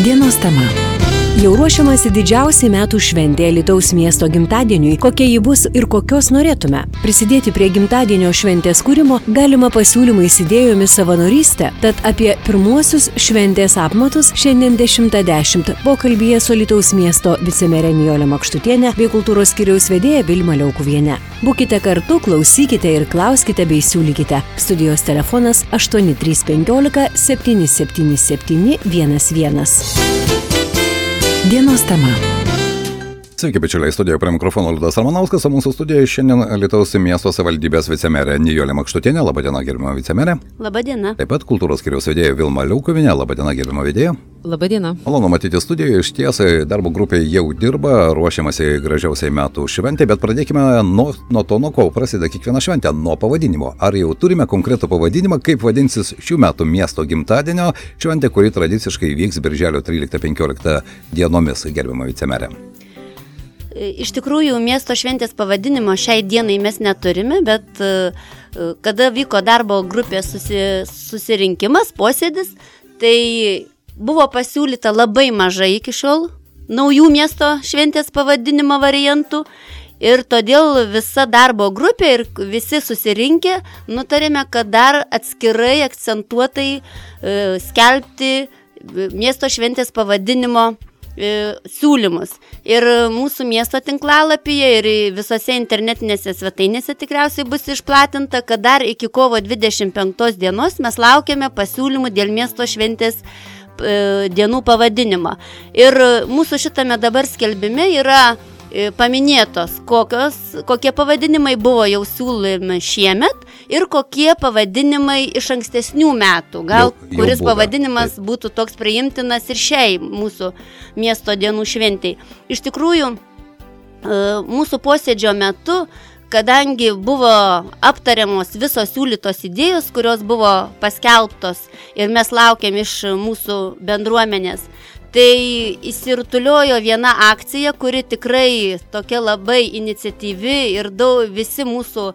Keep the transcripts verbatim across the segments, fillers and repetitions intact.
Dienos tema. Jau ruošiamasi didžiausiai metų šventė Alytaus miesto gimtadieniui, kokia ji bus ir kokios norėtume. Prisidėti prie gimtadienio šventės kūrimo galima pasiūlymais, idėjomis, savanorystę. Tad apie pirmuosius šventės apmatus šiandien dešimtą dešimt pokalbyje su Alytaus miesto vicemerė Nijolė Makštutienė bei kultūros skyriaus vedėja Vilma Liaukuvienė. Būkite kartu, klausykite ir klauskite bei siūlykite. Studijos telefonas aštuoni trys penkiolika septyni septyni septyni vienas vienas. Dienos tema. Sveiki, bičiuliai, studijoje prie mikrofono Liudas Ramanauskas, o mūsų studijoje šiandien Alytaus miesto savivaldybės vicemerė Nijolė Makštutienė. Labadiena, gerbiama vicemerė. Labadiena. Taip pat kultūros skyriaus vedėja Vilma Liaukuvienė. Labadiena, gerbiama vedėja. Labadiena. Malonu matyti studijoje, iš tiesai darbo grupė jau dirba, ruošiamasi gražiausiai metų šventė, bet pradėkime nuo, nuo to, nuo ko prasideda kiekviena šventė, nuo pavadinimo. Ar jau turime konkretų pavadinimą, kaip vadinsis šių metų miesto gimtadienio šventė, kuri tradiciškai vyks birželio tryliktą penkioliktą dienomis, gerbiama vicemerė? Iš tikrųjų, miesto šventės pavadinimo šiai dienai mes neturime, bet kada vyko darbo grupės susi, susirinkimas, posėdis, tai buvo pasiūlyta labai mažai iki šiol naujų miesto šventės pavadinimo variantų ir todėl visa darbo grupė ir visi susirinkę nutarėme, kad dar atskirai akcentuotai e, skelbti miesto šventės pavadinimo siūlymus. Ir mūsų miesto tinklalapyje ir visose internetinėse svetainėse tikriausiai bus išplatinta, kad dar iki kovo dvidešimt penktos dienos mes laukiame pasiūlymų dėl miesto šventės dienų pavadinimo. Ir mūsų šitame dabar skelbime yra paminėtos, kokios, kokie pavadinimai buvo jau siūlomi šiemet ir kokie pavadinimai iš ankstesnių metų. Gal jau, jau kuris būda. Pavadinimas taip. Būtų toks priimtinas ir šiai mūsų miesto dienų šventei. Iš tikrųjų, mūsų posėdžio metu, kadangi buvo aptariamos visos siūlytos idėjos, kurios buvo paskelbtos ir mes laukiam iš mūsų bendruomenės, tai įsirutuliojo viena akcija, kuri tikrai tokia labai iniciatyvi ir daug visi mūsų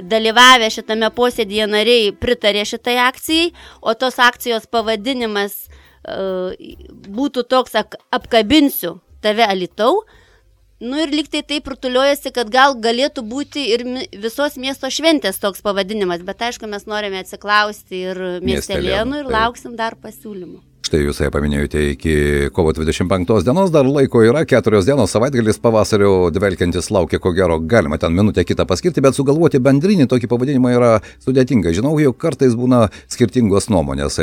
dalyvavę šitame posėdyje nariai pritarė šitai akcijai, o tos akcijos pavadinimas uh, būtų toks apkabinsiu tave Alytau. Nu ir lyg tai taip rutuliojasi, kad gal galėtų būti ir visos miesto šventės toks pavadinimas, bet aišku, mes norime atsiklausti ir miestelėnų ir lauksim dar pasiūlymų. Štai jūs ją paminėjote iki kovo dvidešimt penktos dienos, dar laiko yra, keturios dienos, savaitgalis pavasario dvelkiantis laukia, ko gero galima ten minutę kitą paskirti, bet sugalvoti bendrinį tokį pavadinimą yra sudėtinga. Žinau, jau kartais būna skirtingos nuomonės.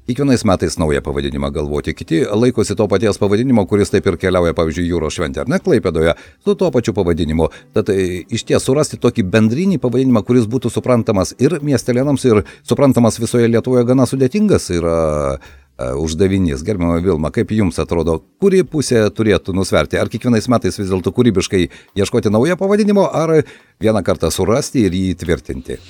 Kiekvienais metais naują pavadinimą galvoti, kiti laikosi to paties pavadinimo, kuris taip ir keliauja, pavyzdžiui, jūros šventė ar ne Klaipėdoje, su tuo pačiu pavadinimu. Tad iš ties surasti tokį bendrinį pavadinimą, kuris būtų suprantamas ir miestelėnams, ir suprantamas visoje Lietuvoje, gana sudėtingas yra uždavinys. Gerbiama Vilma, kaip jums atrodo, kuri pusė turėtų nusverti? Ar kiekvienais metais vis dėlto kūrybiškai ieškoti naujo pavadinimo, ar vieną kartą surasti ir jį tvirtinti?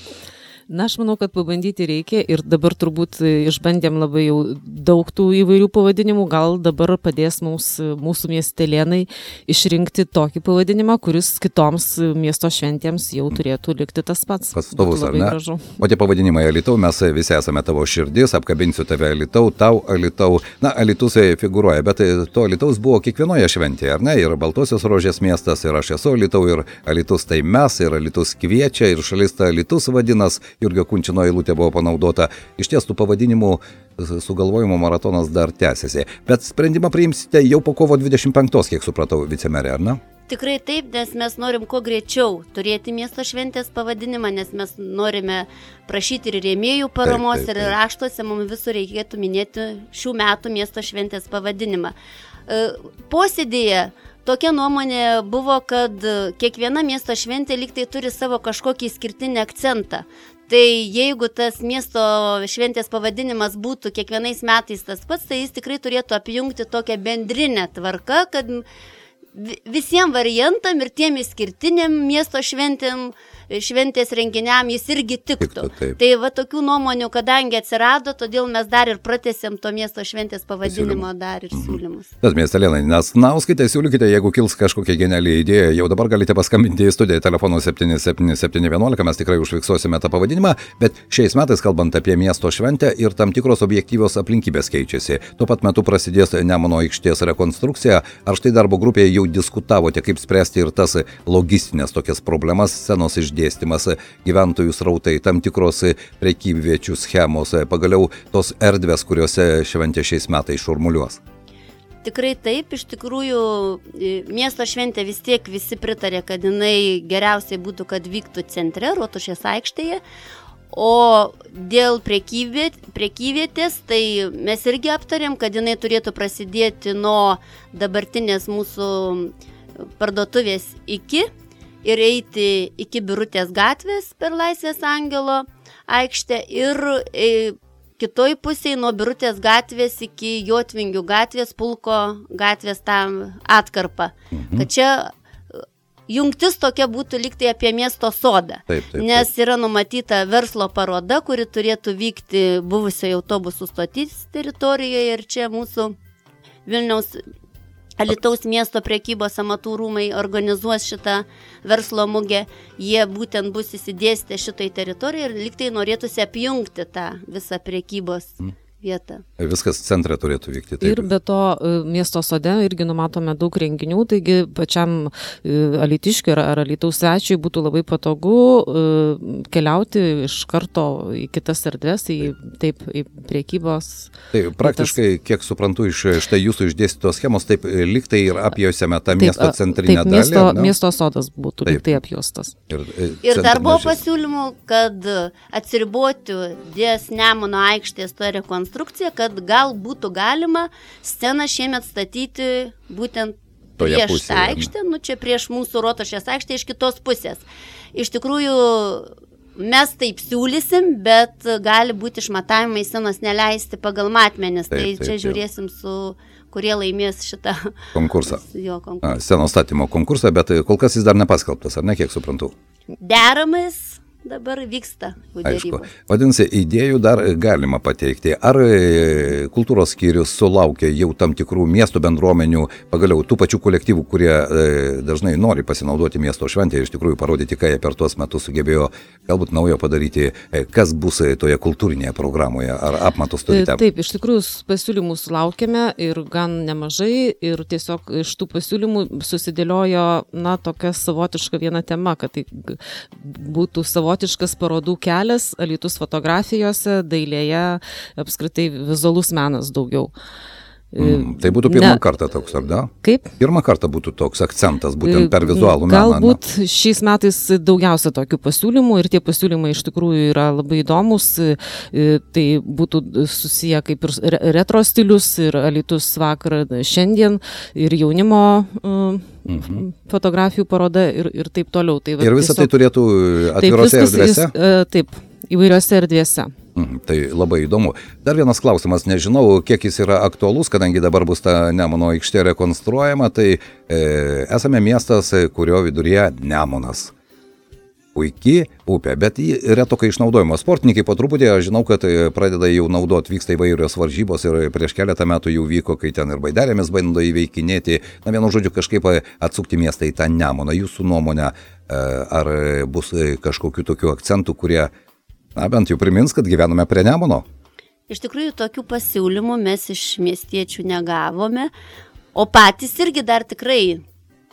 Na, aš manau, kad pabandyti reikia ir dabar turbūt išbandėm labai jau daug tų įvairių pavadinimų, gal dabar padės mums, mūsų miestelėnai išrinkti tokį pavadinimą, kuris kitoms miesto šventėms jau turėtų likti tas pats. Pastovus, ar ne? Gražu. O tie pavadinimai Alytau, mes visi esame tavo širdis, apkabinsiu tave Alytau, tau Alytau. Na, Alytus figuruoja, bet to Alytaus buvo kiekvienoje šventėje, ar ne? Ir Baltosios rožės miestas, ir aš esu Alytau, ir Alytus tai mes, ir Alytus kviečia, ir šalis ta Alytus vadinas. Jurgio Kunčino eilutė buvo panaudota. Iš ties tų pavadinimų sugalvojimo maratonas dar tęsiasi. Bet sprendimą priimsite jau po kovo dvidešimt penktos, kiek supratau, vicemerė, ar ne? Tikrai taip, nes mes norim kuo greičiau turėti miesto šventės pavadinimą, nes mes norime prašyti ir rėmėjų paramos, taip, taip, taip. Ir raštuose mums visur reikėtų minėti šių metų miesto šventės pavadinimą. Posėdėje tokia nuomonė buvo, kad kiekviena miesto šventė lyg tai turi savo kažkokį išskirtinį akcentą. Tai jeigu tas miesto šventės pavadinimas būtų kiekvienais metais tas pats, tai jis tikrai turėtų apjungti tokią bendrinę tvarką, kad visiems variantam ir tiem išskirtiniam miesto šventėm šventės renginiam jis irgi tiktų. tiktų tai va tokių nuomonių, kadangi atsirado, todėl mes dar ir pratęsėm to miesto šventės pavadinimo dar ir siūlymus. Tas miestelėnai, nes nauskite, siūlykite, jeigu kils kažkokia geniali idėja, jau dabar galite paskambinti į studiją telefonu septyni septyni septyni vienuolika, mes tikrai užfiksuosime tą pavadinimą, bet šiais metais, kalbant apie miesto šventę, ir tam tikros objektyvios aplinkybės keičiasi. Tuo pat metu prasidės Nemuno aikštės rekonstrukcija. Ar štai darbo grupėje jau diskutavote, kaip spręsti ir tas logistinės tokias problemas, scenos išdėstymas, gyventojų srautai, tam tikros prekybviečių schemos, pagaliau tos erdvės, kuriuose šventė šiais metais šurmuliuos? Tikrai taip, iš tikrųjų miesto šventė vis tiek visi pritarė, kad jinai geriausiai būtų, kad vyktų centre, Rotušės aikštėje. O dėl prekyvietės, tai mes irgi aptarėm, kad jinai turėtų prasidėti nuo dabartinės mūsų parduotuvės iki ir eiti iki Birutės gatvės per Laisvės Angelo aikštę ir kitoj pusėje nuo Birutės gatvės iki Jotvingių gatvės, Pulko gatvės tam atkarpą. Mhm. Kad čia jungtis tokia būtų liktai apie miesto sodą, taip, taip, taip. Nes yra numatyta verslo paroda, kuri turėtų vykti buvusioje autobusų stoties teritorijoje ir čia mūsų Vilniaus Alytaus miesto prekybos amatų rūmai organizuos šitą verslo mugę. Jie būtent bus įsidėstę šitoj teritorijoje ir liktai norėtųsi apjungti tą visą prekybos mm. vietą. Viskas centre turėtų vykti. Taip. Ir be to miesto sode irgi numatome daug renginių, taigi pačiam alytiškiui ar, ar Alytaus svečiui būtų labai patogu keliauti iš karto į kitas erdves, į, taip, į priekybos. Taip, praktiškai, kitas... kiek suprantu iš štai jūsų išdėstytos schemos, taip liktai ir apjosime tą taip, miesto centrinę taip, dalį. Miesto, ne? miesto sodas būtų taip. Liktai apjostas. Ir, ir dar buvo pasiūlymų, kad atsiriboti dės Nemuno aikštės to rekonstrukcija, kad gal būtų galima sceną šiemet statyti būtent toje prieš pusėje, tą aikštę, nu čia prieš mūsų Rotušės aikštę iš kitos pusės. Iš tikrųjų, mes taip siūlysim, bet gali būti išmatavimai scenos neleisti pagal matmenis, taip, tai taip, čia taip. Žiūrėsim su kurie laimės šitą konkursą. Jo, konkursą. A, scenos statymo konkursą, bet kol kas jis dar nepaskelbtas, ar ne, kiek suprantu? Deramais dabar vyksta. Aišku. Vadinasi, idėjų dar galima pateikti. Ar kultūros skyrius sulaukia jau tam tikrų miesto bendruomenių, pagaliau tų pačių kolektyvų, kurie e, dažnai nori pasinaudoti miesto šventę ir iš tikrųjų parodyti, ką jie per tuos metus sugebėjo galbūt naujo padaryti, e, kas bus toje kultūrinėje programoje, ar apmatus turite? Taip, iš tikrųjų pasiūlymų sulaukėme ir gan nemažai ir tiesiog iš tų pasiūlymų susidėliojo, na, tokia savotiška viena tema, kad tai būtų savotiška savotiškas parodų kelias Alytus fotografijose, dailėje, apskritai vizualus menas daugiau. Mm, tai būtų pirmą ne, kartą toks, ar da? Kaip? Pirmą kartą būtų toks akcentas, būtent per vizualų meną. Galbūt na. Šiais metais daugiausia tokių pasiūlymų ir tie pasiūlymai iš tikrųjų yra labai įdomus. Tai būtų susiję kaip ir retro stilius ir Alytus vakar šiandien ir jaunimo mhm. fotografijų paroda ir, ir taip toliau. Tai, va, ir visą tiesiog, tai turėtų atvirose taip, erdvėse? Jis, taip, įvairiose erdvėse. Mm, tai labai įdomu. Dar vienas klausimas, nežinau, kiek jis yra aktualus, kadangi dabar bus ta Nemuno aikštė rekonstruojama, tai e, esame miestas, kurio viduryje Nemunas. Puikiai upė, bet jį retokai išnaudojama. Sportininkai po truputį, aš žinau, kad pradeda jau naudoti, vyksta įvairios varžybos ir prieš keletą metų jau vyko, kai ten ir baidarėmis bando įveikinėti, na vienu žodžiu kažkaip atsukti miestą į tą Nemuną. Jūsų nuomonė, ar bus kažkokių tokių akcentų, kurie, na bent jau primins, kad gyvename prie Nemuno? Iš tikrųjų, tokių pasiūlymų mes iš miestiečių negavome, o patys irgi dar tikrai,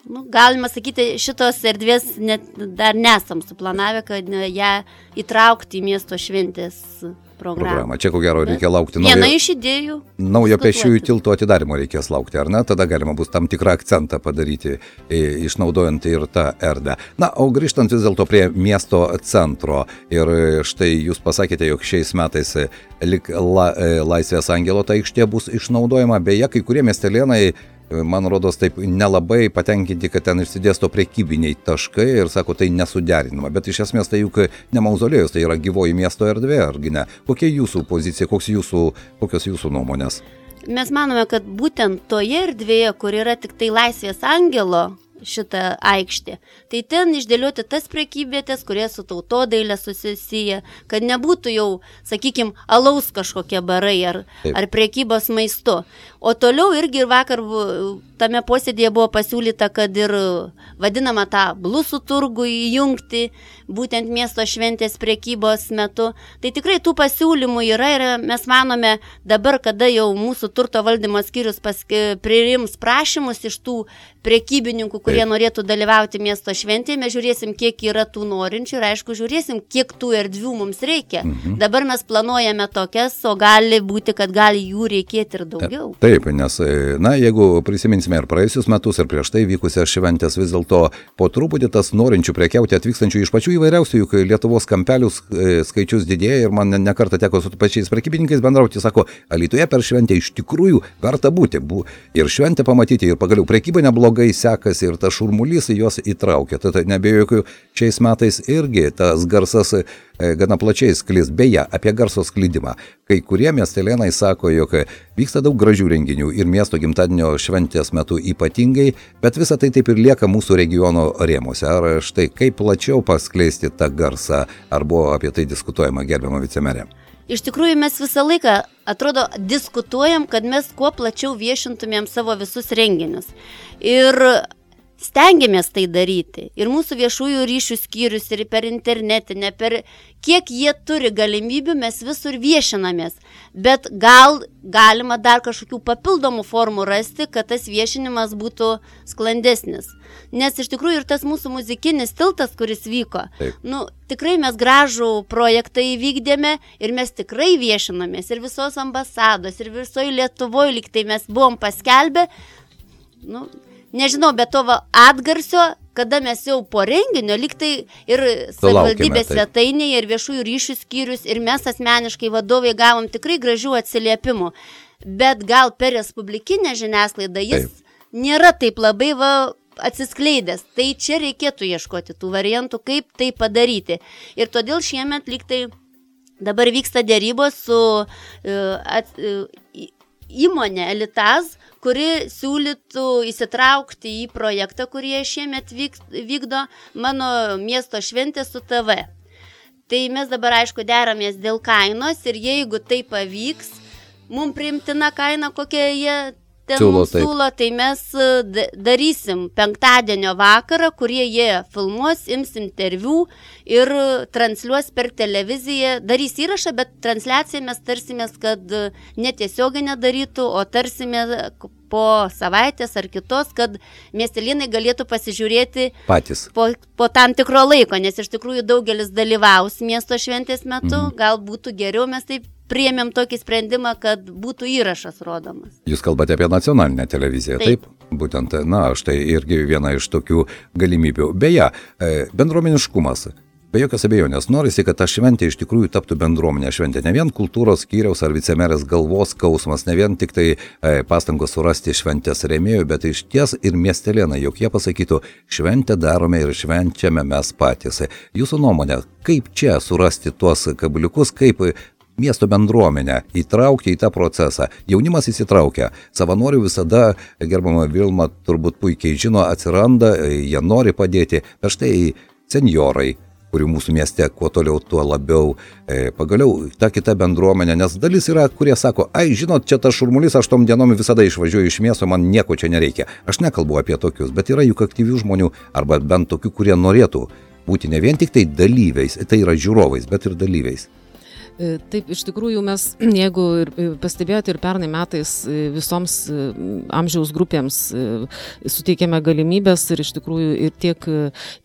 nu, galima sakyti, šitos erdvės net dar nesam suplanavę, kad ją įtraukti į miesto šventės programą. Programą. Čia ko gero reikia laukti naujo. Viena iš idėjų. Naujo pėsčiųjų tilto atidarimo reikės laukti, ar ne? Tada galima bus tam tikrą akcentą padaryti, išnaudojant ir tą erdvę. Na, o grįžtant vis dėlto prie miesto centro. Ir štai jūs pasakėte, jog šiais metais lik la, Laisvės Angelo ta aikštė bus išnaudojama. Beje, kai kurie miestelėnai, man rodos, taip nelabai patenkinti, kad ten išsidėsto prekybiniai taškai ir sako, tai nesuderinama. Bet iš esmės tai juk ne mauzolėjus, tai yra gyvoji miesto erdvė, argi ne? Kokia jūsų pozicija, koks jūsų, kokios jūsų nuomonės? Mes manome, kad būtent toje erdvėje, kur yra tik tai Laisvės Angelo šitą aikštę. Tai ten išdėlioti tas prekybvietės, kurie su tautodailė susisiję, kad nebūtų jau, sakykime, alaus kažkokie barai ar, ar prekybos maistu. O toliau irgi vakar tame posėdėje buvo pasiūlyta, kad ir vadinama tą blusų turgų įjungti, būtent miesto šventės prekybos metu. Tai tikrai tų pasiūlymų yra ir mes manome dabar, kada jau mūsų turto valdymo skyrius paski, priims prašymus iš tų prekybininkų, kurie norėtų dalyvauti miesto šventėje, mes žiūrėsim, kiek yra tų norinčių ir aišku, žiūrėsim, kiek tų erdvių mums reikia. Mhm. Dabar mes planuojame tokias, o gali būti, kad gali jų reikėti ir daugiau. Taip, nes, na, jeigu prisiminsime ir praėjusius metus, ir prieš tai vykusias šventės, vis dėlto po truputį tas norinčių prekiauti atvykstančių iš pačių įvairiausių, juk Lietuvos kampelių skaičius didėja ir man nekartą teko su pačiais prekybininkais bendrauti, sako, Alytuje per šventę iš tikrųjų verta būti. Ir šventę pamatyti, ir pagaliau prekyba neblogai sekasi, ir tas šurmulys juos įtraukia. Tad nebejokiu, šiais metais irgi tas garsas e, gana plačiai sklis. Beje, apie garso sklidimą. Kai kurie miestelėnai sako, jog vyksta daug gražių renginių ir miesto gimtadienio šventės metu ypatingai, bet visa tai taip ir lieka mūsų regiono rėmuose. Ar štai kaip plačiau paskleisti tą garsą, ar buvo apie tai diskutuojama, gerbiama vicemerė? Iš tikrųjų, mes visą laiką, atrodo, diskutuojam, kad mes kuo plačiau viešintumėm savo visus renginius. Ir stengiamės tai daryti. Ir mūsų viešųjų ryšių skyrius, ir per internetinę, per kiek jie turi galimybių, mes visur viešinamės. Bet gal galima dar kažkokių papildomų formų rasti, kad tas viešinimas būtų sklandesnis. Nes iš tikrųjų ir tas mūsų muzikinis tiltas, kuris vyko, Taip. nu, tikrai mes gražų projektą įvykdėme ir mes tikrai viešinamės. Ir visos ambasados, ir visoje Lietuvoje lyg tai mes buvom paskelbę, nu, nežinau, bet to va, atgarsio, kada mes jau po renginio, lyg tai ir savivaldybės svetainėje, ir viešųjų ryšių skyrius, ir mes asmeniškai vadovai gavom tikrai gražių atsiliepimų. Bet gal per respublikinę žiniasklaidą jis taip. nėra taip labai va, atsiskleidęs. Tai čia reikėtų ieškoti tų variantų, kaip tai padaryti. Ir todėl šiemet lyg tai dabar vyksta dėrybos su uh, at, uh, įmonė Elitas, kuri siūlytų įsitraukti į projektą, kurį šiemet vykdo mano miesto šventė su T V. Tai mes dabar aišku deramės dėl kainos ir jeigu tai pavyks, mums priimtina kaina, kokia jie ten siūlo, mums siūlo, tai mes darysim penktadienio vakarą, kurie jie filmuos, ims interviu ir transliuos per televiziją, darys įrašą, bet transliaciją mes tarsimės, kad netiesioginę darytų, o tarsime po savaitės ar kitos, kad miestelėnai galėtų pasižiūrėti patys po, po tam tikro laiko, nes iš tikrųjų daugelis dalyvaus miesto šventės metu, mm. gal būtų geriau, mes taip priėmėm tokį sprendimą, kad būtų įrašas rodomas. Jūs kalbate apie nacionalinę televiziją, taip? taip? Būtent, na, štai irgi viena iš tokių galimybių. Beje, bendruomeniškumas. Be jokios abejonės, norisi, kad ta šventė iš tikrųjų taptų bendruomenė šventė. Ne vien kultūros skyriaus ar vicemerės galvos skausmas, ne vien tik tai e, pastangos surasti šventės rėmėjų, bet iš ties ir miestelėnai, jog jie pasakytų, šventę darome ir švenčiame mes patys. Jūsų nuomonė, kaip čia surasti tuos kabliukus, kaip miesto bendruomenę įtraukti į tą procesą. Jaunimas įsitraukia. Savanorių visada, gerbama Vilma turbūt puikiai žino, atsiranda, jie nori padėti. Bet štai senjorai, kurių mūsų mieste kuo toliau, tuo labiau. E, pagaliau ta kita bendruomenė, nes dalis yra, kurie sako, ai, žinot, čia tas šurmulys, aš tom dienom visada išvažiuoju iš miesto, man nieko čia nereikia. Aš nekalbu apie tokius, bet yra juk aktyvių žmonių, arba bent tokių, kurie norėtų būti ne vien tik tai dalyviais, tai yra žiūrovais, bet ir dalyviais. Taip, iš tikrųjų mes, jeigu pastebėjote ir pernai metais visoms amžiaus grupėms suteikėme galimybės ir iš tikrųjų ir tiek,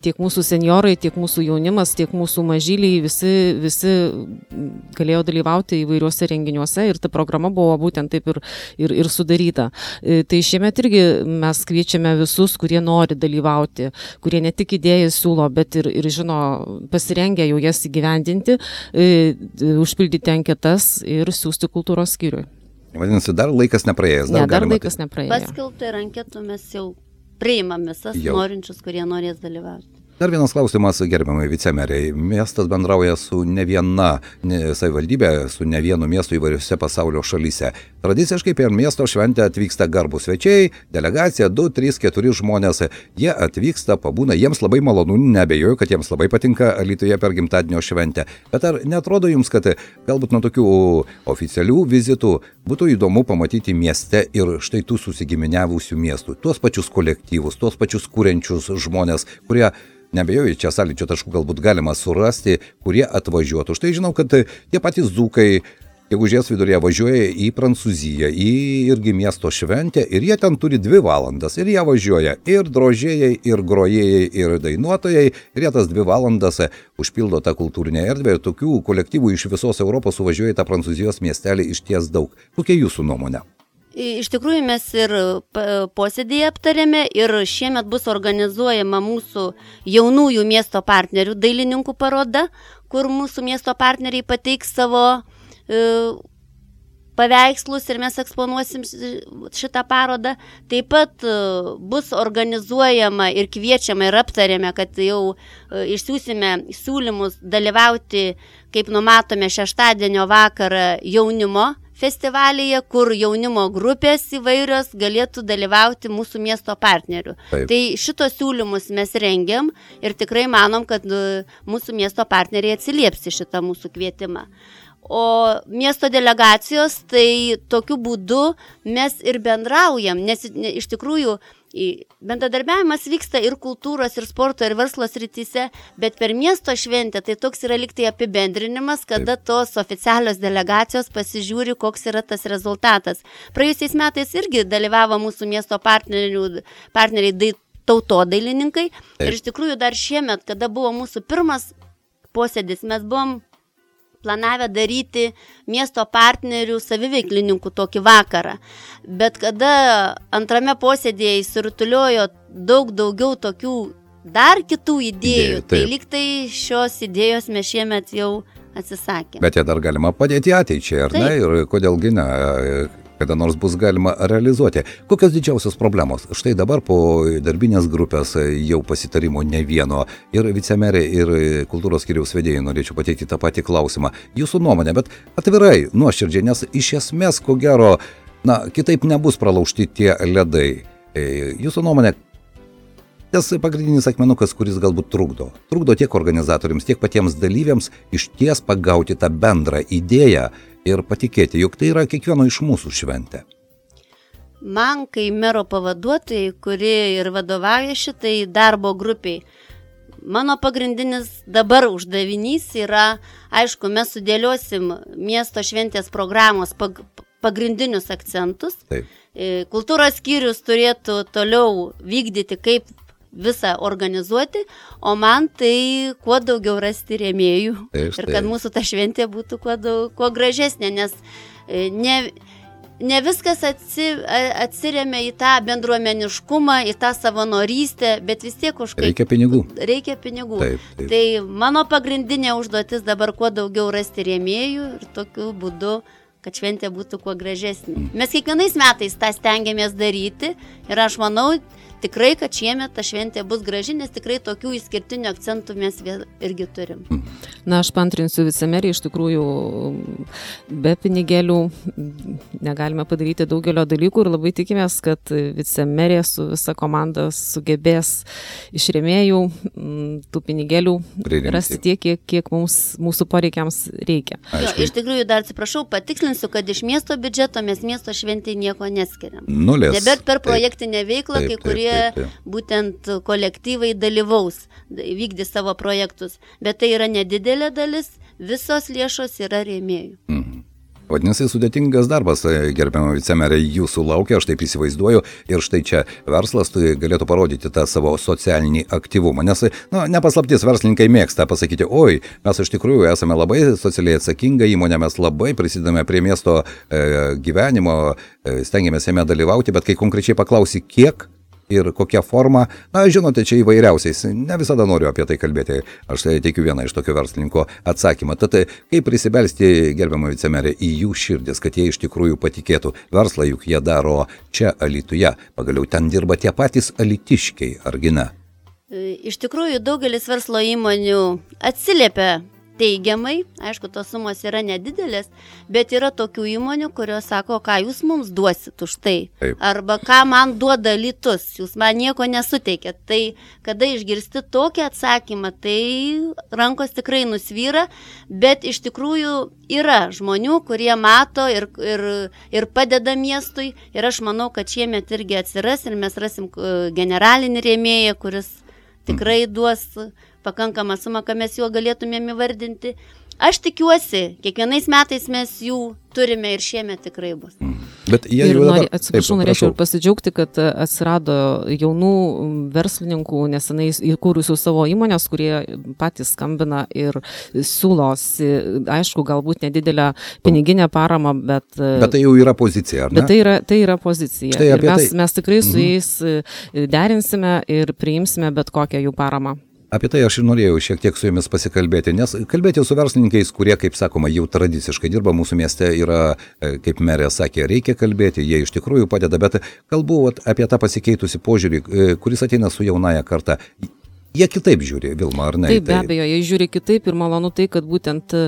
tiek mūsų senjorai, tiek mūsų jaunimas, tiek mūsų mažyliai, visi, visi galėjo dalyvauti įvairiuose renginiuose ir ta programa buvo būtent taip ir, ir, ir sudaryta. Tai šiemet irgi mes kviečiame visus, kurie nori dalyvauti, kurie ne tik idėjas siūlo, bet ir, ir žino, pasirengę jau jas įgyvendinti, užpildyti anketas ir siūsti kultūros skyriui. Vadinasi, dar laikas nepraėjęs. Dar, ne, dar laikas nepraėjo. Paskelbta ir anketų mes jau priimam visas jau. Norinčius, kurie norės dalyvauti. Dar vienas klausimas, gerbiamai vicemeriai. Miestas bendrauja su ne viena ne, savivaldybė, su ne vienu miestu įvairiose pasaulio šalyse. Tradiciškai per miesto šventę atvyksta garbus svečiai, delegacija, du, trys, keturi žmonės. Jie atvyksta, pabūna, jiems labai malonu, neabejoju, kad jiems labai patinka Alytuje per gimtadienio šventę. Bet ar netrodo jums, kad galbūt nuo tokių oficialių vizitų būtų įdomu pamatyti mieste ir štai tų susigiminiavusių miestų, tuos pačius kolektyvus, tuos pačius kūrenčius žmonės, kurie, nebejoju, čia sąlyčio taškų galbūt galima surasti, kurie atvažiuotų. Štai žinau, kad tie patys dzūkai gegužės viduryje važiuoja į Prancūziją, į irgi miesto šventę ir jie ten turi dvi valandas ir jie važiuoja ir drožėjai, ir grojėjai, ir dainuotojai ir jie tas dvi valandas užpildo tą kultūrinę erdvę ir tokių kolektyvų iš visos Europos suvažiuoja į tą Prancūzijos miestelį išties daug. Kokia jūsų nuomonė? Iš tikrųjų mes ir posėdėje aptarėme ir šiemet bus organizuojama mūsų jaunųjų miesto partnerių dailininkų paroda, kur mūsų miesto partneriai pateiks savo e, paveikslus ir mes eksponuosim šitą parodą. Taip pat e, bus organizuojama ir kviečiama ir aptarėme, kad jau e, išsiųsime siūlymus dalyvauti, kaip numatome, šeštadienio vakarą jaunimo festivalyje, kur jaunimo grupės įvairios galėtų dalyvauti mūsų miesto partnerių. Taip. Tai šitos siūlymus mes rengiam ir tikrai manom, kad mūsų miesto partneriai atsilieps į šitą mūsų kvietimą. O miesto delegacijos, tai tokiu būdu mes ir bendraujam, nes iš tikrųjų bendradarbiavimas vyksta ir kultūros, ir sporto, ir verslo srityse, bet per miesto šventę tai toks yra liktai apibendrinimas, kada Taip. Tos oficialios delegacijos pasižiūri, koks yra tas rezultatas. Praėjusiais metais irgi dalyvavo mūsų miesto partnerių, partneriai dai, tautodailininkai Taip. Ir iš tikrųjų dar šiemet, kada buvo mūsų pirmas posėdis, mes buvom planavę daryti miesto partnerių saviveiklininkų tokį vakarą. Bet kada antrame posėdėje įsirutuliojo daug daugiau tokių dar kitų idėjų, Idėjų, tai lyg tai šios idėjos mes šiemet jau atsisakėme. Bet jie dar galima padėti ateičiai, ar taip. Ne? Ir kodėlgi ne, kada nors bus galima realizuoti. Kokios didžiausios problemos? Štai dabar po darbinės grupės jau pasitarimo ne vieno ir vicemerė, ir kultūros skyriaus vedėjai norėčiau pateikti tą patį klausimą. Jūsų nuomonė, bet atvirai, nuoširdžiai, nes iš esmės, ko gero, na, kitaip nebus pralaužti tie ledai. Jūsų nuomonė, tas pagrindinis akmenukas, kuris galbūt trukdo. Trukdo tiek organizatoriams, tiek patiems dalyviams išties pagauti tą bendrą idėją ir patikėti, jog tai yra kiekvieno iš mūsų šventė. Man, kai mero pavaduotojai, kuri ir vadovauja šitai darbo grupiai, mano pagrindinis dabar uždavinys yra, aišku, mes sudėliosim miesto šventės programos pag- pagrindinius akcentus. Taip. Kultūros skyrius turėtų toliau vykdyti, kaip visą organizuoti, o man tai kuo daugiau rasti rėmėjų taip, ir kad mūsų ta šventė būtų kuo, daug, kuo gražesnė, nes ne, ne viskas atsi, atsiremia į tą bendruomeniškumą, į tą savanorystę, bet vis tiek už reikia pinigų. Reikia pinigų. Taip, taip. Tai mano pagrindinė užduotis dabar kuo daugiau rasti rėmėjų ir tokiu būdu, kad šventė būtų kuo gražesnė. Mes kiekvienais metais tą stengiamės daryti ir aš manau, tikrai, kad šiemet ta šventė bus graži, nes tikrai tokių išskirtinių akcentų mes irgi turim. Na, aš pantrinsiu vicemerį, iš tikrųjų be pinigėlių negalime padaryti daugelio dalykų ir labai tikimės, kad vicemerė su visa komanda sugebės iš rėmėjų tų pinigėlių Pririmti. Rasti tiek, kiek, kiek mums, mūsų poreikiams reikia. Jo, iš tikrųjų, dar atsiprašau, patikslinsiu, kad iš miesto biudžeto mes miesto šventai nieko neskiriam. Nulis. Nebent per projektinę veiklą, taip, kai kurie taip, taip, taip. būtent kolektyvai dalyvaus, vykdys savo projektus. Bet tai yra nedidelė dalis, visos lėšos yra rėmėjų. Mhm. Vadinasi, sudėtingas darbas, gerbiama vicemerė, jūsų laukia, aš taip įsivaizduoju, ir štai čia verslas tai galėtų parodyti tą savo socialinį aktyvumą, nes, na, nepaslaptis, verslininkai mėgsta pasakyti, oi, mes iš tikrųjų esame labai socialiai atsakinga įmonė, mes labai prisidame prie miesto e, gyvenimo, e, stengiamės jame dalyvauti, bet kai konkrečiai paklausi, kiek ir kokia forma, na, žinote, čia įvairiausiais, ne visada noriu apie tai kalbėti, aš tai teikiu vieną iš tokio verslininko atsakymą. Tad kaip prisibelsti, gerbiamą vicemerę, į jų širdis, kad jie iš tikrųjų patikėtų, verslą juk jie daro čia Alytuje, pagaliau ten dirba tie patys alytiškiai, argi ne? Iš tikrųjų, daugelis verslo įmonių atsiliepia teigiamai, aišku, tos sumos yra nedidelės, bet yra tokių įmonių, kurios sako, ką jūs mums duosit už tai. Taip. Arba ką man duoda Alytus, jūs man nieko nesuteikėt. Tai kada išgirsti tokį atsakymą, tai rankos tikrai nusvyra, bet iš tikrųjų yra žmonių, kurie mato ir, ir, ir padeda miestui. Ir aš manau, kad šiemet irgi atsiras ir mes rasim generalinį rėmėją, kuris tikrai duos pakankamą sumą, ką mes juo galėtumėm įvardinti. Aš tikiuosi, kiekvienais metais mes jų turime ir šiemet tikrai bus. Bet jie ir jau nori, dabar... atsiprašau, Taip, norėčiau prašau. ir pasidžiaugti, kad atsirado jaunų verslininkų, nesenai įkūrusių savo įmonės, kurie patys skambina ir siūlosi, aišku, galbūt nedidelę piniginę paramą, bet... Bet tai jau yra pozicija, ar ne? Bet tai yra, tai yra pozicija. Štai Ir apie mes, tai- mes tikrai su Mhm. jais derinsime ir priimsime bet kokią jų paramą. Apie tai aš ir norėjau šiek tiek su jumis pasikalbėti, nes kalbėti su verslininkais, kurie, kaip sakoma, jau tradiciškai dirba mūsų mieste, yra, kaip merė sakė, reikia kalbėti, jie iš tikrųjų padeda, bet kalbu apie tą pasikeitusi požiūrį, kuris ateina su jaunaja karta. Jie kitaip žiūri, Vilma, ar ne? Taip, be abejo, jie žiūri kitaip ir malonu tai, kad būtent e,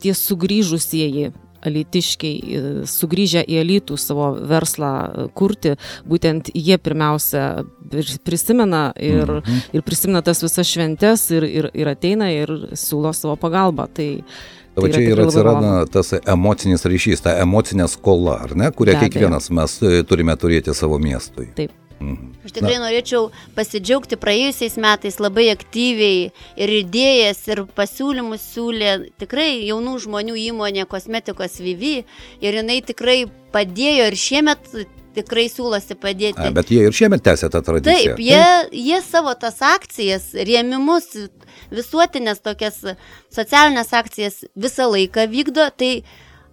tie sugrįžusieji alytiškiai, sugrįžę į Alytų savo verslą kurti, būtent jie pirmiausia prisimena ir, Mhm. ir prisimena tas visas šventes ir, ir, ir ateina ir siūlo savo pagalbą. Tai, Tai va čia ir tikrai labai atsiranda malonu. tas emocinis ryšys, ta emocinė skola, ar ne, kurią Be abejo. kiekvienas mes turime turėti savo miestui. Taip. Mhm. Aš tikrai Na. norėčiau pasidžiaugti praėjusiais metais labai aktyviai ir idėjas, ir pasiūlymus siūlė tikrai jaunų žmonių įmonė Kosmetikos Vivi ir jinai tikrai padėjo ir šiemet tikrai siūlosi padėti. A, bet jie ir šiemet tęsia tą tradiciją. Taip, jie, jie savo tas akcijas, rėmimus, visuotinės tokias socialinės akcijas visą laiką vykdo, tai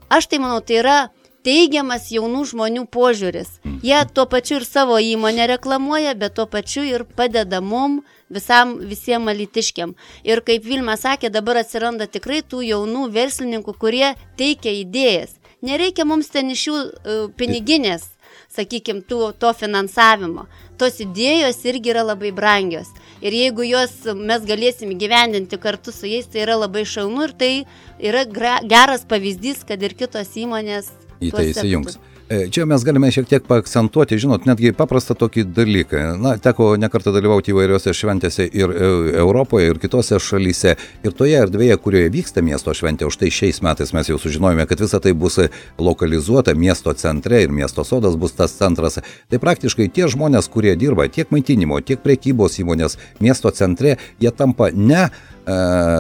aš tai manau, tai yra teigiamas jaunų žmonių požiūris. Jie tuo pačiu ir savo įmonę reklamuoja, bet tuo pačiu ir padeda mum visam, visiems alytiškiam. Ir kaip Vilma sakė, dabar atsiranda tikrai tų jaunų verslininkų, kurie teikia idėjas. Nereikia mums ten iš jų uh, piniginės, sakykime, to, to finansavimo. Tos idėjos irgi yra labai brangios. Ir jeigu jos mes galėsim gyvendinti kartu su jais, tai yra labai šaunu ir tai yra gra, geras pavyzdys, kad ir kitos įmonės į tai įsijungs. Čia mes galime šiek tiek paakcentuoti, žinot, netgi paprastą tokį dalyką. Na, teko nekartą dalyvauti įvairiose šventėse ir Europoje, ir kitose šalyse. Ir toje erdvėje, kurioje vyksta miesto šventė, už tai šiais metais mes jau sužinojome, kad visa tai bus lokalizuota miesto centre ir miesto sodas bus tas centras. Tai praktiškai tie žmonės, kurie dirba tiek maitinimo, tiek prekybos įmonės miesto centre, jie tampa ne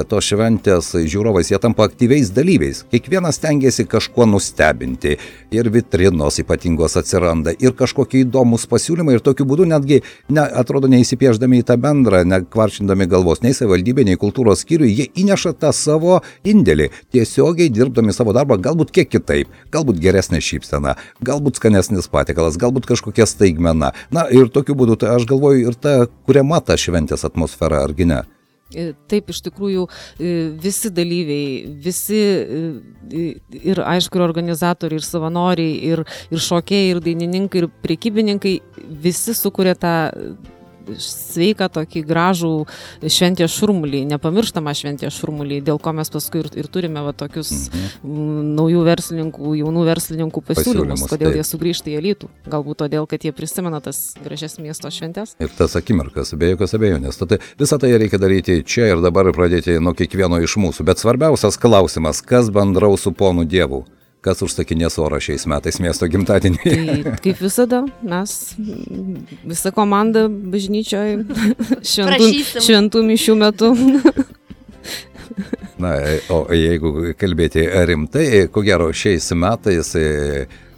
tos šventės žiūrovais, jie tampa aktyviais dalyviais. Kiekvienas stengiasi kažkuo nustebinti ir vitrinos ypatingos atsiranda ir kažkokie įdomus pasiūlymai ir tokiu būdu netgi, ne, atrodo, neįsipieždami į tą bendrą, nekvaršindami galvos, nei savivaldybė, nei kultūros skyriui, jie įneša tą savo indėlį, tiesiogiai dirbdami savo darbą, galbūt kiek kitaip, galbūt geresnė šypsena, galbūt skanesnis patiekalas, galbūt kažkokia staigmena. Na ir tokiu būdu, tai aš galvoju, ir ta kuriama ta šventės atmosfera, argi ne? Taip, iš tikrųjų, visi dalyviai, visi ir aišku, ir organizatoriai, ir savanoriai, ir, ir šokėjai, ir dainininkai, ir prekybininkai, visi sukuria tą sveiką tokį gražų šventės šurmulį, nepamirštamą šventės šurmulį, dėl ko mes paskui ir, ir turime va, tokius mhm. naujų verslininkų, jaunų verslininkų pasiūlymus, pasiūlymus kodėl taip. Jie sugrįžta į Alytų. Galbūt todėl, kad jie prisimena tas gražias miesto šventės. Ir tas akimirkas, be jokios abejonės. Tad visą tai reikia daryti čia ir dabar ir pradėti nuo kiekvieno iš mūsų. Bet svarbiausias klausimas, kas bendraus su ponu Dievu? Kas užsakinės orą šiais metais miesto gimtadienį? Tai kaip visada, mes visa komanda bažnyčioje šventų, šventų mišių metu. Na, o jeigu kalbėti rimtai, ko gero šiais metais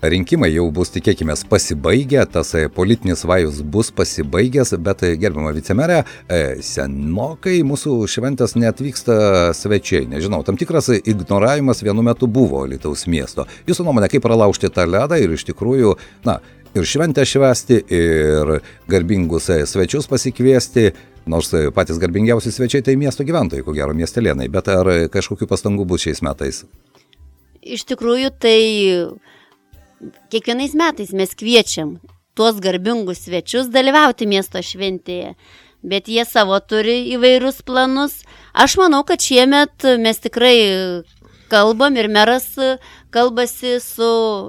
rinkimai jau bus, tikėkime, pasibaigę, tas politinis vajus bus pasibaigęs, bet gerbiama vicemerė, senokai mūsų šventės neatvyksta svečiai. Nežinau, tam tikras ignoravimas vienu metu buvo Alytaus miesto. Jūsų nuomonė, kaip pralaužti tą ledą ir iš tikrųjų, na, ir šventę švęsti, ir garbingus svečius pasikviesti, nors patys garbingiausi svečiai tai miesto gyventojai, ko gero miestelėnai, bet ar kažkokių pastangų bus šiais metais? Iš tikrųjų, tai kiekvienais metais mes kviečiam tuos garbingus svečius dalyvauti miesto šventėje. Bet jie savo turi įvairius planus. Aš manau, kad šiemet mes tikrai kalbam ir meras kalbasi su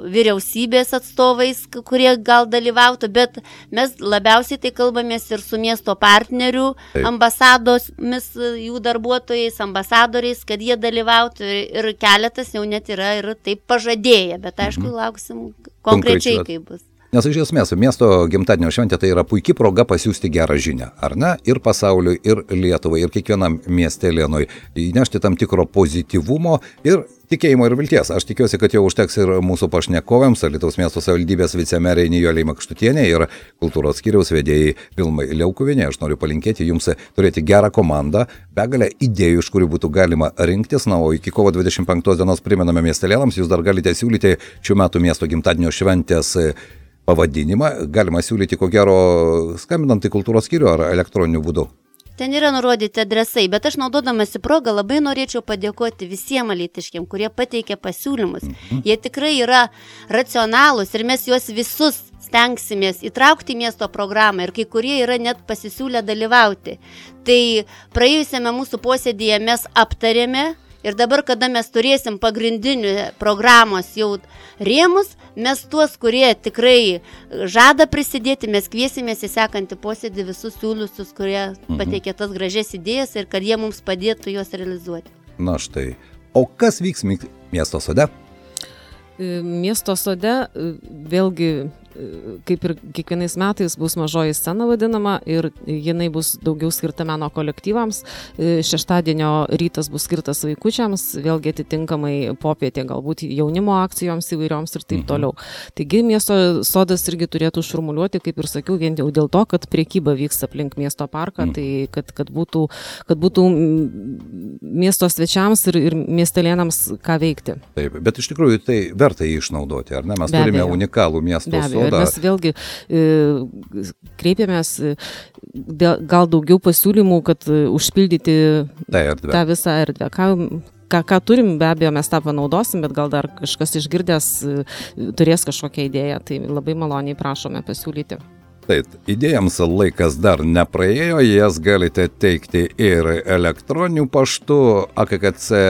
vyriausybės atstovais, kurie gal dalyvautų, bet mes labiausiai tai kalbamės ir su miesto partnerių, Taip. ambasadomis, jų darbuotojais, ambasadoriais, kad jie dalyvautų ir keletas jau net yra ir taip pažadėję, bet aišku, mhm. lauksim konkrečiai, kaip bus. Nes iš esmės, miesto gimtadienio šventė tai yra puikia proga pasiųsti gerą žinią, ar ne? Ir pasauliui, ir Lietuvai, ir kiekvienam miestelėnui įnešti tam tikro pozityvumo ir tikėjimo ir vilties. Aš tikiuosi, kad jau užteks ir mūsų pašnekovėms, Alytaus miesto savivaldybės vicemerei Nijolei Makštutienei ir kultūros skyriaus vedėjai Vilmai Liaukuvienei. Aš noriu palinkėti jums turėti gerą komandą, begalę idėjų, iš kurių būtų galima rinktis. Na, o iki kovo dvidešimt penktos dienos primename miestelėnams, jūs dar galite siūlyti šių metų miesto gimtadienio šventės pavadinimą. Galima siūlyti, ko gero, skambinant į kultūros skyrių ar elektroniniu būdu. Ten yra nurodyti adresai, bet aš naudodamasi progą labai norėčiau padėkoti visiems alytiškiam, kurie pateikė pasiūlymus. Mhm. Jie tikrai yra racionalūs ir mes juos visus stengsimės įtraukti į miesto programą ir kai kurie yra net pasisiūlę dalyvauti. Tai praėjusiame mūsų posėdėje mes aptarėme ir dabar, kada mes turėsim pagrindinių programos jau rėmus, mes tuos, kurie tikrai žada prisidėti, mes kviesimės į sekantį posėdį visus siūliusius, kurie mhm. pateikė tas gražias idėjas ir kad jie mums padėtų juos realizuoti. Na štai. O kas vyks miesto sode? Miesto sode vėlgi, kaip ir kiekvienais metais, bus mažoji scena vadinama ir jinai bus daugiau skirta meno kolektyvams. Šeštadienio rytas bus skirtas vaikučiams, vėlgi atitinkamai popietė galbūt jaunimo akcijoms įvairioms ir taip mhm. toliau. Taigi miesto sodas irgi turėtų šurmuliuoti, kaip ir sakiau, vien jau dėl to, kad priekyba vyks aplink miesto parką, mhm. tai kad, kad, būtų, kad būtų miesto svečiams ir, ir miestelėnams ką veikti. Taip, bet iš tikrųjų tai verta jį išnaudoti, ar ne? Mes Be turime abejo. unikalų miesto sodą. Ir mes vėlgi e, kreipėmės e, gal daugiau pasiūlymų, kad e, užpildyti tai erdvę. tą visą erdvę. Ką, ką, ką turim, be abejo, mes tą panaudosim, bet gal dar kažkas išgirdęs e, turės kažkokią idėją, tai labai maloniai prašome pasiūlyti. Taip, idėjams laikas dar nepraėjo, jas galite teikti ir elektroniniu paštu a k k c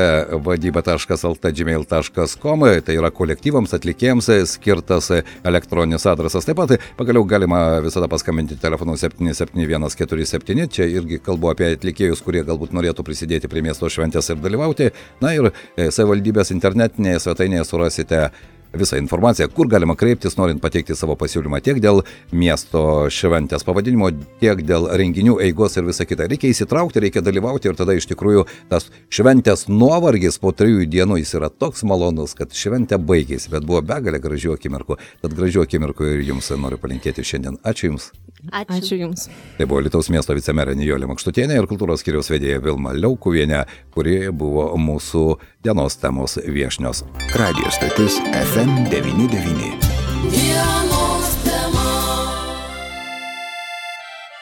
vadyba taškas l t gmail taškas com, tai yra kolektyvams, atlikėjams skirtas elektroninis adresas. Taip pat pagaliau galima visada paskambinti telefonu septyni septyni vienas keturi septyni, čia irgi kalbu apie atlikėjus, kurie galbūt norėtų prisidėti prie miesto šventės ir dalyvauti. Na ir savivaldybės internetinėje svetainėje surasite visą informaciją, kur galima kreiptis, norint pateikti savo pasiūlymą tiek dėl miesto šventės pavadinimo, tiek dėl renginių eigos ir visa kita. Reikia įsitraukti, reikia dalyvauti ir tada iš tikrųjų tas šventės nuovargis po trijų dienų jis yra toks malonus, kad šventė baigėsi, bet buvo begalė gražių akimirkų. Tad gražių akimirkų ir jums noriu palinkėti šiandien. Ačiū Jums. Ačiū. Ačiū Jums. Tai buvo Alytaus miesto vicemerė Nijolė Makštutienė ir kultūros skyriaus vedėja Vilma Liaukuvienė, kuri buvo mūsų dienos temos viešnios. Radio stotis F M devyni devyni.